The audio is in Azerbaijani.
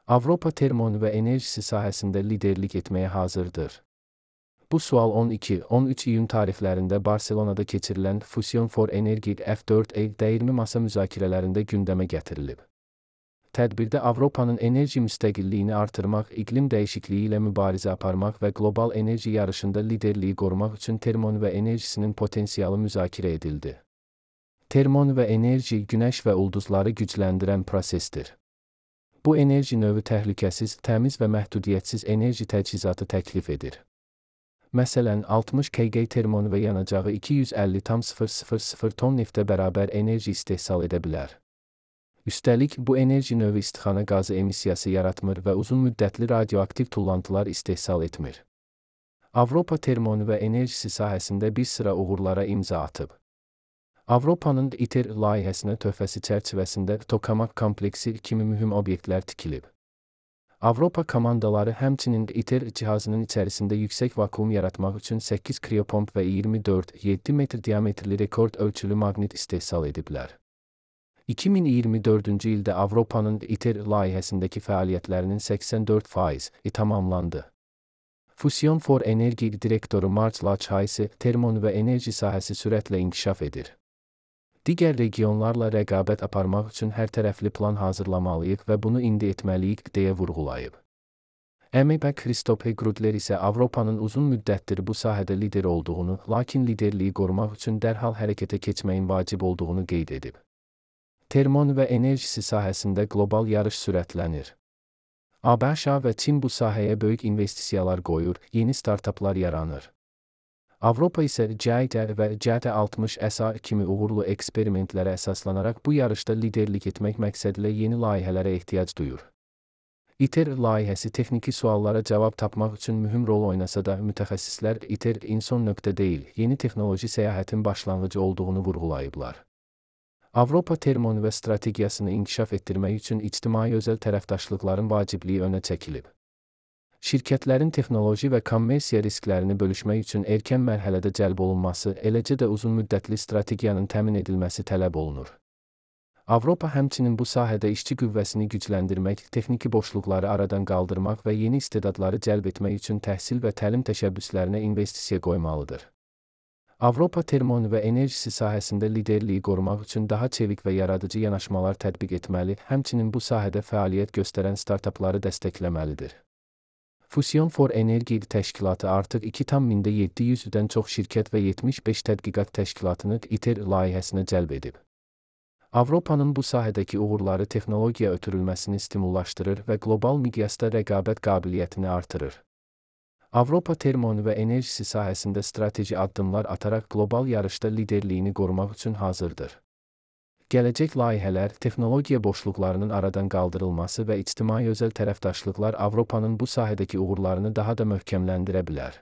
Avropa termonüvə enerjisi sahəsində liderlik etməyə hazırdır. Bu sual 12-13 iyun tarixlərində Barselonada keçirilən Fusion for Energy F4E dəyirmi masa müzakirələrində gündəmə gətirilib. Tədbirdə Avropanın enerji müstəqilliyini artırmaq, iqlim dəyişikliyi ilə mübarizə aparmaq və qlobal enerji yarışında liderliyi qorumaq üçün termonüvə enerjisinin potensialı müzakirə edildi. Termonüvə enerji, günəş və ulduzları gücləndirən prosesdir. Bu enerji növü təhlükəsiz, təmiz və məhdudiyyətsiz enerji təchizatı təklif edir. Məsələn, 60 kg termonüvə yanacağı 250,000 ton neftə bərabər enerji istehsal edə bilər. Üstəlik, bu enerji növü istixana qazı emissiyası yaratmır və uzun müddətli radioaktiv tullantılar istehsal etmir. Avropa termonüvə enerjisi sahəsində bir sıra uğurlara imza atıb. Avropanın ITER layihəsinə töhfəsi çərçivəsində tokamak kompleksi kimi mühüm obyektlər tikilib. Avropa komandaları həmçinin ITER cihazının içərisində yüksək vakuum yaratmaq üçün 8 kriopomp və 24-7 metr diametrli rekord ölçülü maqnit istehsal ediblər. 2024-cü ildə Avropanın ITER layihəsindəki fəaliyyətlərinin 84%i tamamlandı. Fusion for Energy direktoru Marc Lachayse, termonüvə enerji sahəsi sürətlə inkişaf edir. Digər regionlarla rəqabət aparmaq üçün hərtərəfli plan hazırlamalıyıq və bunu indi etməliyik, deyə vurğulayıb. MEP Christophe Grudler isə Avropanın uzun müddətdir bu sahədə lider olduğunu, lakin liderliyi qorumaq üçün dərhal hərəkətə keçməyin vacib olduğunu qeyd edib. Termonüvə enerjisi sahəsində qlobal yarış sürətlənir. ABŞ və Çin bu sahəyə böyük investisiyalar qoyur, yeni startaplar yaranır. Avropa isə JITER və JT60SA kimi uğurlu eksperimentlərə əsaslanaraq bu yarışda liderlik etmək məqsədilə yeni layihələrə ehtiyac duyur. ITER layihəsi texniki suallara cavab tapmaq üçün mühüm rol oynasa da, mütəxəssislər ITER-in son nöqtə deyil, yeni texnoloji səyahətin başlanğıcı olduğunu vurğulayıblar. Avropa termonüvə strategiyasını inkişaf etdirmək üçün ictimai-özəl tərəfdaşlıqların vacibliyi önə çəkilib. Şirkətlərin texnoloji və kommersiya risklərini bölüşmək üçün erkən mərhələdə cəlb olunması, eləcə də uzunmüddətli strategiyanın təmin edilməsi tələb olunur. Avropa həmçinin bu sahədə işçi qüvvəsini gücləndirmək, texniki boşluqları aradan qaldırmaq və yeni istedadları cəlb etmək üçün təhsil və təlim təşəbbüslərinə investisiya qoymalıdır. Avropa termonüvə enerjisi sahəsində liderliyi qorumaq üçün daha çevik və yaradıcı yanaşmalar tətbiq etməli, həmçinin bu sahədə fəaliyyət göstərən startapları dəstəkləməlidir. Fusion for Energy təşkilatı artıq 2,700-dən çox şirkət və 75 tədqiqat təşkilatını ITER layihəsinə cəlb edib. Avropanın bu sahədəki uğurları texnologiya ötürülməsini stimullaşdırır və qlobal miqyasda rəqabət qabiliyyətini artırır. Avropa termonüvə enerjisi sahəsində strateji addımlar ataraq qlobal yarışda liderliyini qorumaq üçün hazırdır. Gələcək layihələr, texnologiya boşluqlarının aradan qaldırılması və ictimai-özəl tərəfdaşlıqlar Avropanın bu sahədəki uğurlarını daha da möhkəmləndirə bilər.